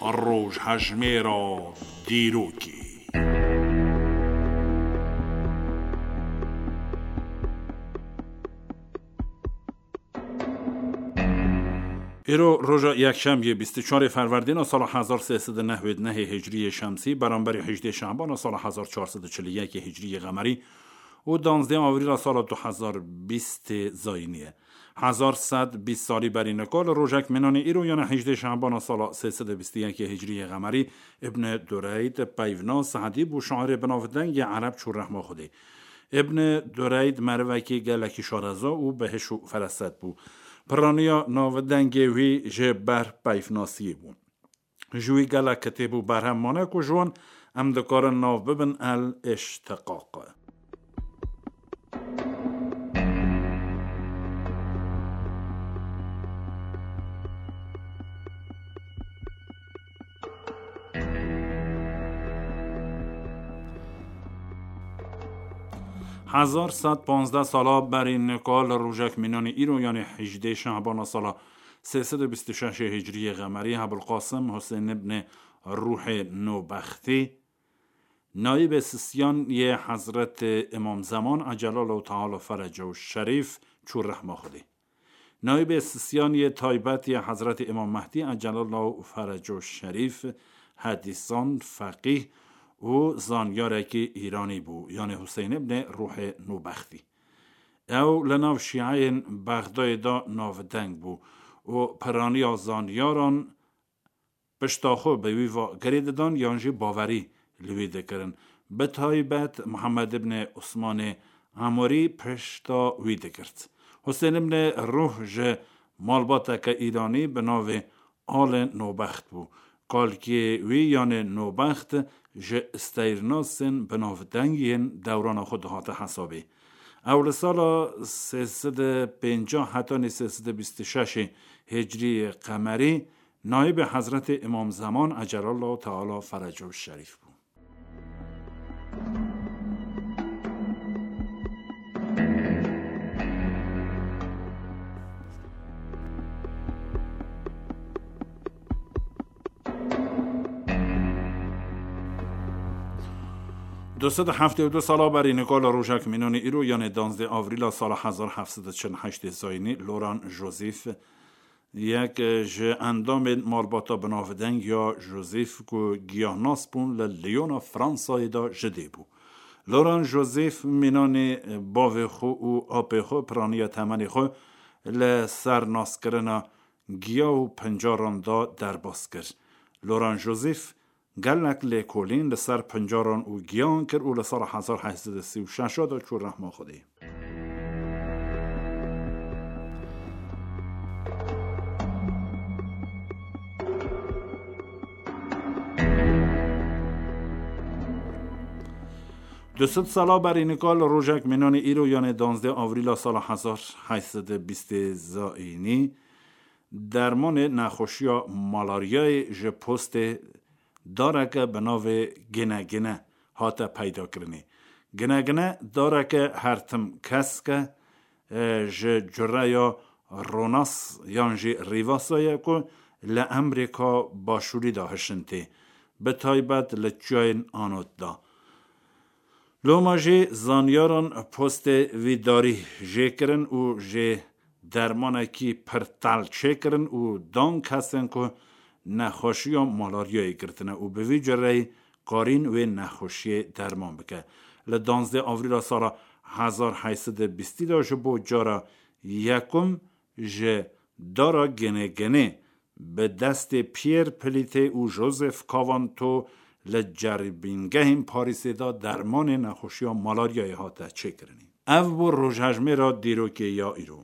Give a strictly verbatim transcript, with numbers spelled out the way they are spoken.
Rojhejmêra dîrokê. Îro roja yekşemiyê bîst û çarê Ferwerdîna sala hezar sê sed û newêd nehê Hicriyê Şemsî, beramberî hejdê Şehbana sala hezar çar sed û çil û yekê Hicriyê Qemerî û danzdê Avrîla sala du hezar bîstê Zayînî ye. Hezar sed bîst salî berî nika li rojek mînanê îro, yanê hejdê Şehbana sala sê sed û bîst û yekê Hicriyê Qemerî, Ibn Dureyd, peyvnas, edîb û şairê binavdeng yê ereb çû rehma Xwedê. Ibn Dureyd merivekî gelekî şareza û bi hiş û feraset bû. Piraniya navdengê wî ji ber peyvnasiyê bû. Ji wî gelek kitêb û berhem mane ku ji wan em dikarin nav bibin El Îştiqaq. Hezar sed panzdeh sala berî nika li rojek mînanê îro, yanê hejdê Şehbana sala sê sed û bîst û şeş Hicriyê Qemerî, Ebulqasim Husên ibn Ruhê Nobextî, nayîbê sisiyan yê Hezretê Îmam Zeman, Ecelallahu Teala Feracehu Şerîf, çû rehma Xwedê. Nayîbê sisiyan yê taybet yê Hezretê Îmam Mehdî, Ecelallahu Feracehu Şerîf, hedîsan, feqîh û zanyarekî Îranî bû, yanê Husên ibn Ruhê Nobextî. Ew li nav şîeyên Bexdayê de navdeng bû û piraniya zanyaran pişta xwe bi wî ve girê didan yan jî bawerî li wî dikirin. Bi taybet Muhammed ibn Usmanê Emorî pişta wî digirt. Husên ibn Ruh ji malbateke Îranî bi navê Alê Nobext bû. Kalkê wî yanê Nobext ji steyrnasên binavdeng yên dewrana xwe dihate hesabê. Ew li sala sê sed û pêncah hetanî sê sed û bîst û şeş Hicriyê Qemerî nayîbê Hezretê Îmam Zeman, Ecelallahu Teala Feracehu Şerîf, bû. Du sed û heftê û du sala berî nika li rojek mînanê îro, yanê danzdê Avrîla sala hezar heft sed û çil û heştê Zayînî, Loran Joseph, yek ji endamên malbata binavdeng ya Joseph ku giyahnas bûn, li Lyona Fransayê de ji dê bû. Loran Joseph mînanê bavê xwe û apê xwe, piraniya temenê xwe li ser naskirina giya û pincaran de derbas kir. Loran Joseph gelek lêkolîn li ser pincaran û giyan kir û li sala hezar heşt sed û sî û şeş de çû rehma Xwedê. Du sed sala berî nika li rojek mînanê îro, yanê danzdê Avrîla sala hezar heşt sed û bîstê Zayînî, dermanê nexweşiya malaryayê ji postê dareke bi navê ginegine hate peydakirinê. Ginegine dareke hertim kesk e, e, ji cureya Ronas yan jî Rivasa ye ku li Emrîka Başûrî de hişin tê, bi taybet li çiyayên Anot de. Loma jî zanyaran postê vî darî jê kirin û jê dermanekî pir tel çêkirin û dan kesên ku nexweşiya malaryayê girtine û bi vî cureyî karîn wê nexweşiyê derman bike. Li danzdê Avrîla sala hezar heşt sed û bîstî de ji bo cara yekum ji dara Genegene bi destê Pierre Pelite û Joseph Cavanto li ceribîngehên Parîsê de dermanê nexweşiya malaryayê hate çêkirinê. Ev bû rojhejmêra dîrokê ya îro.